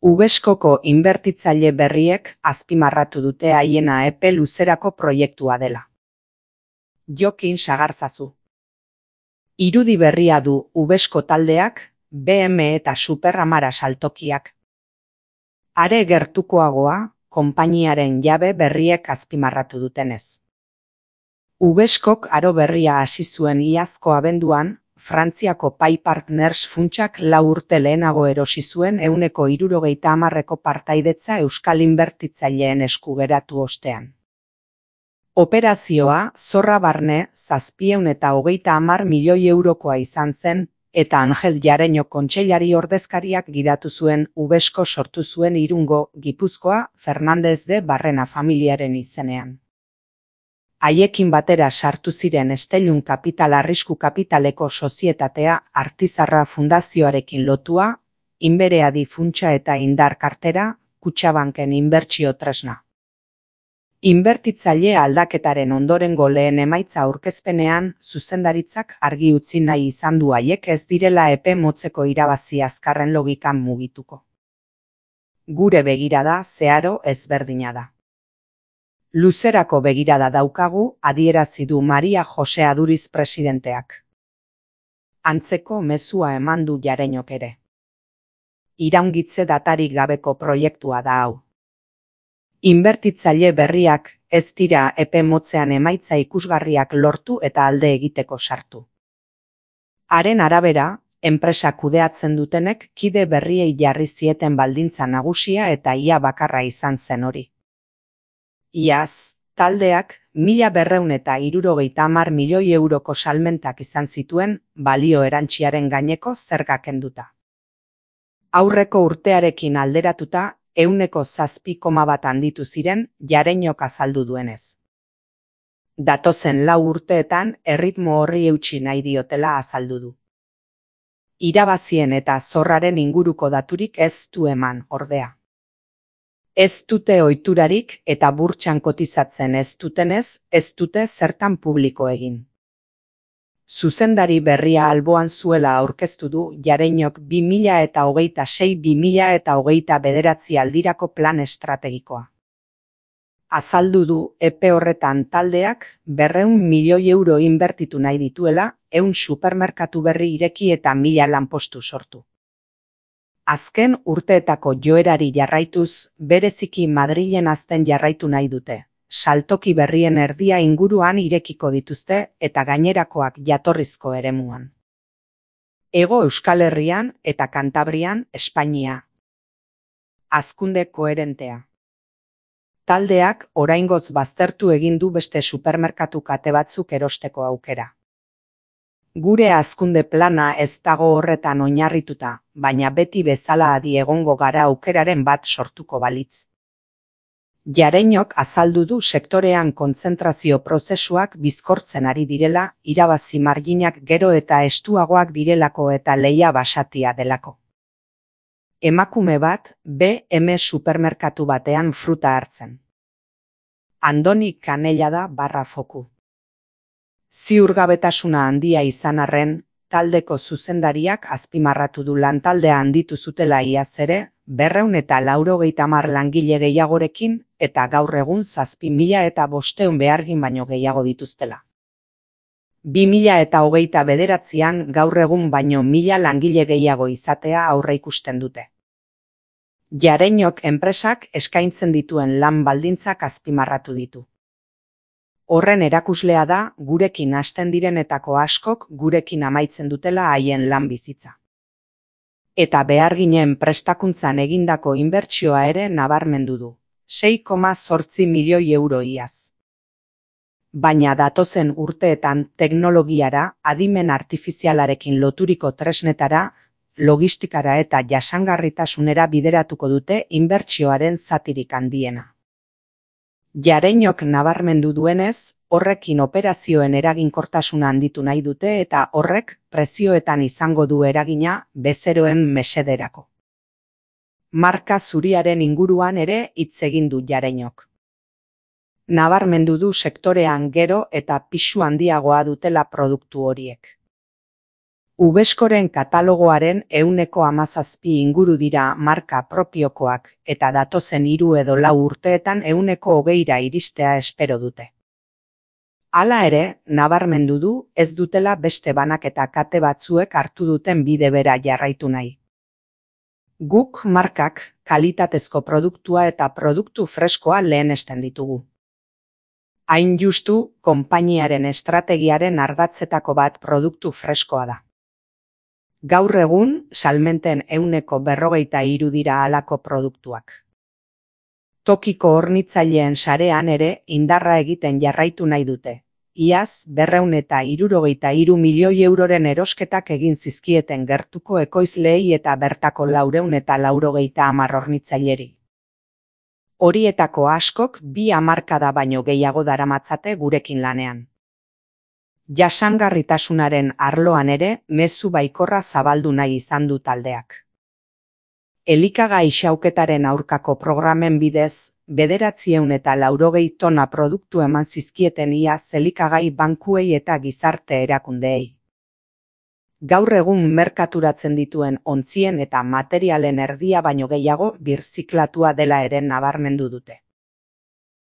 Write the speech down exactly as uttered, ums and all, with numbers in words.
Ubeskoko inbertitzaile berriek azpimarratu dute haiena epe luzerako proiektua dela. Jokin sagarzazu. Irudi berria du Ubesko taldeak, B M eta Superamara saltokiak. Are gertukoagoa, konpainiaren jabe berriek azpimarratu dutenez. Ubeskok aro berria hasi zuen iazko abenduan, Frantziako Pay Partners funtsak lau urte lehenago erosi zuen ehuneko hirurogeita hamarreko partaidetza euskal inbertitzaileen esku geratu ostean. Operazioa zorra barne zazpiehun eta hogeita hamar milioi eurokoa izan zen, eta Angel Jareño kontseilari ordezkariak gidatu zuen Ubesko sortu zuen Irungo, Gipuzkoa, Fernandez de Barrena familiaren izenean. Haiekin batera sartu ziren Estelun Kapital Arrisku Kapitaleko sozietatea Artizarra Fundazioarekin lotua, Inbereadi funtsa eta Indar kartera, Kutxabanken inbertsio tresna. Inbertitzaile aldaketaren ondorengo lehen emaitza aurkezpenean, zuzendaritzak argi utzi nahi izan du haiek ez direla epe motzeko irabazi azkarren logikan mugituko. Gure begirada zeharo ezberdina da. Luzerako begirada daukagu, adierazi du Maria Jose Aduriz presidenteak. Antzeko mezua eman du Jareñok ere. Iraungitze datarik gabeko proiektua da hau. Inbertitzaile berriak ez dira epe motzean emaitza ikusgarriak lortu eta alde egiteko sartu. Haren arabera, enpresa kudeatzen dutenek kide berriei jarri zieten baldintza nagusia eta ia bakarra izan zen hori. Iaz, taldeak mila berrehun eta hirurogeita hamar milioi euroko salmentak izan zituen balio erantsiaren gaineko zerga kenduta. Aurreko urtearekin alderatuta, ehuneko zazpi koma bat handitu ziren Jareñok azaldu duenez. Datozen lau urteetan erritmo horri eutsi nahi diotela azaldu du. Irabazien eta zorraren inguruko daturik ez du eman, ordea. Ez dute ohiturarik eta burtsan kotizatzen ez dutenez, ez dute zertan publiko egin. Zuzendari berria alboan zuela aurkeztu du Jareñok bi mila eta hogeita sei bi mila eta hogeita bederatzi aldirako plan estrategikoa. Azaldu du epe horretan taldeak berrehun milioi euro inbertitu nahi dituela, ehun supermerkatu berri ireki eta mila lanpostu sortu. Azken urteetako joerari jarraituz, bereziki Madrilen hazten jarraitu nahi dute. Saltoki berrien erdia inguruan irekiko dituzte eta gainerakoak jatorrizko eremuan. Hego Euskal Herrian eta Kantabrian, Espainia. Hazkunde koherentea. Taldeak oraingoz baztertu egin du beste supermerkatu kate batzuk erosteko aukera. Gure hazkunde plana ez dago horretan oinarrituta, baina beti bezala adi egongo gara aukeraren bat sortuko balitz. Jareñok azaldu du sektorean kontzentrazio prozesuak bizkortzen ari direla, irabazi marginak gero eta estuagoak direlako eta lehia basatia delako. Emakume bat, B M supermerkatu batean fruta hartzen. Andoni Kanella da barra foku. Ziurgabetasuna handia izan arren, taldeko zuzendariak azpimarratu du lantaldea handitu zutela iaz ere, berrehun eta laurogeita hamar langile gehiagorekin eta gaur egun zazpi mila eta bostehun behargin baino gehiago dituztela. Bi mila eta hogeita bederatzian gaur egun baino mila langile gehiago izatea aurreikusten dute. Jareñok enpresak eskaintzen dituen lan baldintzak azpimarratu ditu. Horren erakuslea da, gurekin hasten direnetako askok gurekin amaitzen dutela haien lan bizitza. Eta beharginen prestakuntzan egindako inbertsioa ere nabarmendu du, sei koma zortzi milioi euro iaz. Baina datozen urteetan teknologiara, adimen artifizialarekin loturiko tresnetara, logistikara eta jasangarritasunera bideratuko dute inbertsioaren zatirik handiena. Jareñok nabarmendu duenez, horrekin operazioen eraginkortasuna handitu nahi dute eta horrek prezioetan izango du eragina bezeroen mesederako. Marka zuriaren inguruan ere hitz egin du Jareñok. Nabarmendu du sektorean gero eta pisu handiagoa dutela produktu horiek. Ubeskoren katalogoaren ehuneko hamazazpi inguru dira marka propiokoak eta datozen hiru edo lau urteetan ehuneko hogeira iristea espero dute. Hala ere, nabarmendu du ez dutela beste banaketa kate batzuek hartu duten bide bera jarraitu nahi. Guk markak kalitatezko produktua eta produktu freskoa lehenesten ditugu. Hain justu, konpainiaren estrategiaren ardatzetako bat produktu freskoa da. Gaur egun, salmenten ehuneko berrogeita hiru dira halako produktuak. Tokiko hornitzaileen sarean ere indarra egiten jarraitu nahi dute. Iaz, berrehun eta hirurogeita hiru milioi euroren erosketak egin zizkieten gertuko ekoizleei eta bertako laurehun eta laurogeita hamar hornitzaileri. Horietako askok bi hamarkada baino gehiago daramatzate gurekin lanean. Jasangarritasunaren arloan ere mezu baikorra zabaldu nahi izan du taldeak. Elikagai xauketaren aurkako programen bidez, bederatziehun eta laurogei tona produktu eman zizkieten iaz elikagai bankuei eta gizarte erakundeei. Gaur egun merkaturatzen dituen ontzien eta materialen erdia baino gehiago birziklatua dela ere nabarmendu dute.